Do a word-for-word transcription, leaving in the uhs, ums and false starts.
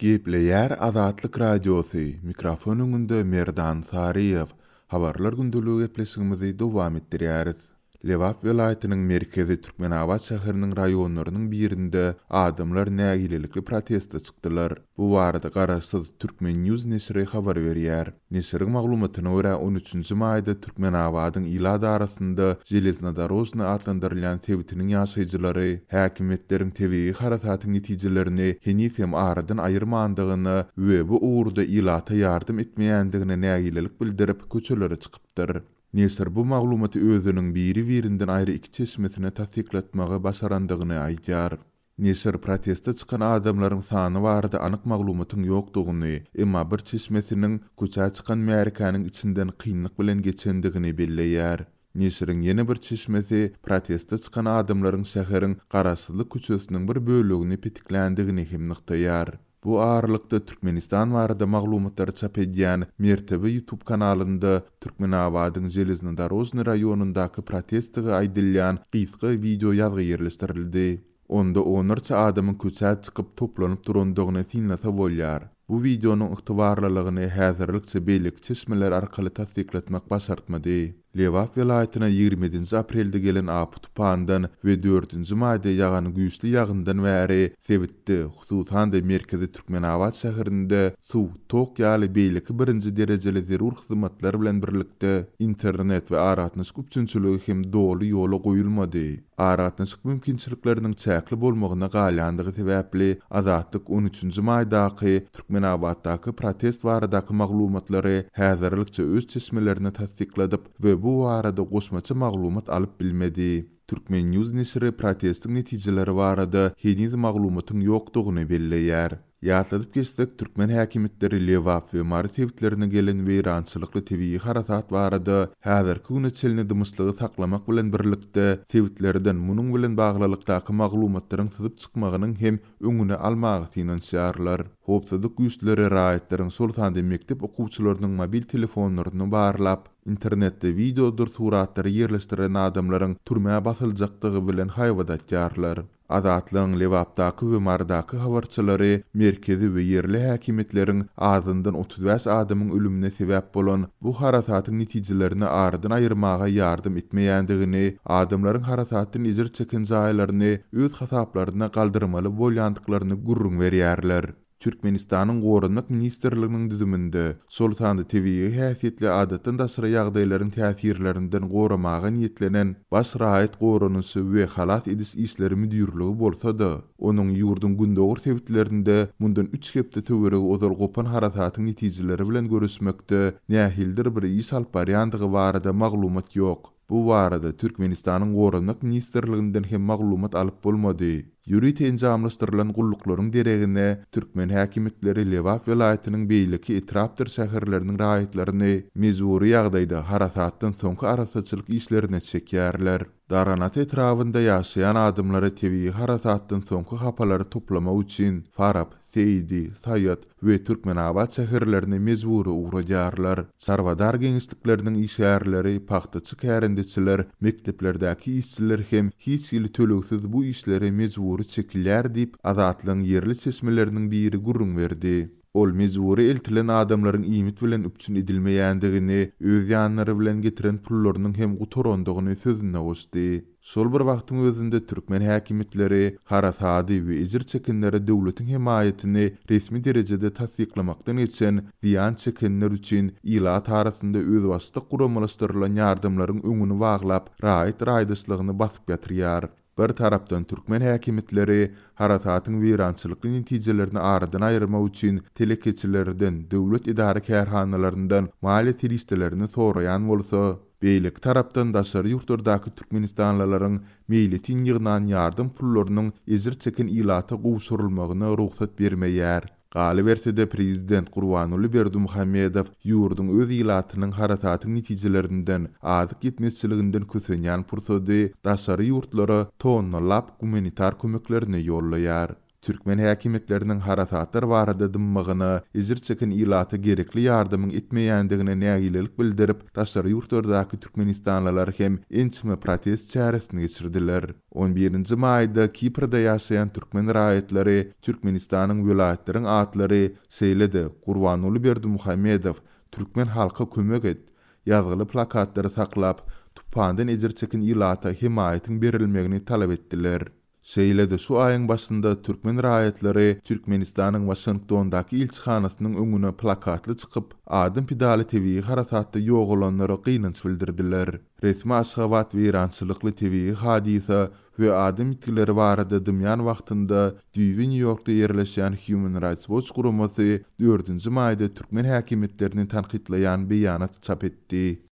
Gepleýär Azatlyk Radiosy, mikrofon öňünde Merdan Saryýew. Habarlar gündeligi gepleşigimizi dowam etdirýäris. Lebap welaýatynyň merkezi Türkmenabat şäheriniň raýonlarynyň birinde adamlar nägilelikli proteste çykdylar. Bu barada garaşsyz Turkmen News neşiri habar berýär. Neşiriň maglumatyna görä, on üçünji maýda Türkmenabadyň ilat arasynda Železnodorožny atlandyrylýan sebitiniň ýaşaýjylary häkimiýetleriň tebigy harasatyň netijelerini heniz hem aradan aýyrmandygyna we bu ugurda ilata ýardam etmeýändigine nägilelik bildirip köçelere çykypdyr. Neşir bu maglumaty özüniň biri-birinden aýry iki çeşmesine tassyklatmagy başarandygyny aýdýar. Neşir proteste çykan adamlaryň sany barada anyk maglumatyň ýokdugyny, emma bir çeşmesiniň köçä çykan märekäniň içinden kynlyk bilen geçendigini belleýär. Neşiriň ýene bir çeşmesi proteste çykan adamlaryň şäheriň Garaşsyzlyk köçesiniň bir bölegini petikländigini hem nygtaýar. Bu aralykda Türkmenistan barada maglumatlary çap edýän Mertebe YouTube kanalynda Türkmenabadyň Železnodorožny raýonyndaky protestigi aýdylýan gysga video ýazgy ýerleşdirildi. Onda onlarça adamyň köçä çykyp toplanyp durandygyny synlasa bolýar. Bu videonyň ygtybarlylygyny häzirlikçe beýleki çeşmeler arkaly tassyklatmak başartmady. Lebap welaýatyna ýigrimi ýedinji aprelde gelen apy tupandan we dördünji maýda ýagan güýçli ýagyndan bäri sebitde, hususan-da merkezi Türkmenabat şäherinde suw, tok ýaly beýleki birinji derejeli zerur hyzmatlar bilen birlikde internet we aragatnaşyk üpjünçiligi hem doly ýola goýulmady. Aragatnaşyk mümkinçilikleriniň çäkli bolmagyna galýandygy sebäpli Azatlyk on üçünji maýdaky Türkmenabatdaky protest baradaky maglumatlary häzirlikçe öz çeşmelerini tassykladyp we bu barada goşmaça maglumat alyp bilmedi. Turkmen News neşiri protestiň netijeleri barada heniz maglumatyň ýokdugyny belleýär. Ýatladyp geçsek, türkmen häkimiýetleri Lebap we Mary sebitlerine gelen weýrançylykly tebigy harasat barada häzirki güne çenli dymyşlygy saklamak bilen birlikde sebitlerden munuň bilen baglylykdaky maglumatlaryň syzyp çykmagynyň hem öňüni almaga synanyşýarlar. Howpsuzlyk güýçleri raýatlaryň şol sanda mekdep okuwçylarynyň mobil telefonlaryny barlap, internetde videodyr suratlary ýerleşdiren adamlaryň türmä basyljakdygy bilen haýbat atýarlar. Azatlygyň Lebapdaky we Marydaky habarçylary merkezi we ýerli häkimiýetleriň azyndan otuz bäş adamyň ölümine sebäp bolan bu harasatyň netijelerini aradan aýyrmaga ýardam etmeýändigini, adamlaryň harasatdan ejir çeken jaýlaryny öz hasaplaryna galdyrmaly bolýandyklaryny gürrüň berýärler. Türkmenistanyň Goranmak Ministrliginiň düzüminde, şol sanda tebigy häsiýetli adatdan daşary ýagdaýlaryň täsirlerinden goramaga niýetlenen Baş raýat goranyşy we halas ediş işleri müdirligi bolsa-da, onuň ýurduň gündogar sebitlerinde mundan üç hepde töweregi ozal gopan harasatyň netijeleri bilen görüşmekde nähilidir bir iş alyp barýandygy barada maglumat ýok. Bu barada Türkmenistanyň Goranmak Ministrliginden hem maglumat alyp bolmady. Ýörite enjamlaşdyrylan gulluklaryň deregine türkmen häkimiýetleri Lebap welaýatynyň beýleki etrapdyr şäherleriniň raýatlaryny mejbury ýagdaýda harasatdan soňky arassaçylyk işlerine çekýärler. Darganata etrabynda ýaşaýan adamlara tebigy harasatdan soňky hapalary toplamak üçin Farap, Seýdi, Saýat we Türkmenabat şäherlerine mejbury ugradýarlar. Çarwadar geňeşlikleriniň işgärleri, pagtaçy kärendeçiler, mekdeplerdäki işçiler hem hiç hili tölegsiz bu işlere mejbury çekilýär diýip, Azatlygyň ýerli çeşmeleriniň biri gürrüň berdi. Ol mejbury eltilen adamlaryň iýmit bilen üpjün edilmeýändigini, öz ýanlary bilen getiren pullarynyň hem gutarandygyny sözüne goşdy. Şol bir wagtyň özünde türkmen häkimiýetleri harasady we ejir çekenlere döwletiň hemaýatyny resmi derejede tassyklamakdan geçen zyýan çekenler üçin ilat arasynda özbaşdak guramalaşdyrylan ýardamlaryň öňüni baglap, raýat raýdaşlygyny basyp ýatyrýar. Bir tarapdan türkmen häkimiýetleri harasatyň weýrançylykly netijelerini aradan aýyrmak üçin telekeçilerden, döwlet edara kärhanalaryndan maliýe serişdelerini soraýan bolsa, beýleki tarapdan daşary ýurtlardaky türkmenistanlylaryň meýletin ýygnan ýardam pullarynyň ejir çeken ilata gowşurylmagyna rugsat bermeýär. Galyberse-de prezident Gurbanguly Berdimuhamedow ýurduň öz ilatynyň harasatyň netijelerinden, azyk ýetmezçiliginden kösenýän pursady daşary ýurtlara tonnalap gumanitar kömeklerini ýollaýar. Türkmen häkimiýetleriniň harasatlar barada dymmagyna, ejir çeken ilata gerekli ýardamyň etmeýändigine nägilelik bildirip, daşary ýurtlardaky türkmenistanlylar hem ençeme protest çäresini geçirdiler. On birinji maýda Kiprde ýaşaýan türkmen raýatlary Türkmenistanyň welaýatlaryň atlary, şeýle-de Gurbanguly Berdimuhamedow, Türkmen halka kömek et! ýazgyly plakatlary saklap, tupandan ejir çeken ilata hemaýatyň berilmegini talap etdiler. Şeýle-de şu aýyň başynda türkmen raýatlary Türkmenistanyň Waşingtondaky ilçihanasynyň öňüne plakatly çykyp, adam pidaly tebigy harasatda ýogalanlara gynanç bildirdiler. Resmi Aşgabat weýrançylykly tebigy hadysa we adam ýitgileri barada dymýan wagtynda düýbi Nýu-Ýorkda ýerleşýän Human Rights Watch guramasy dördünji maýda türkmen häkimiýetlerini tankytlaýan beýanat çap etdi.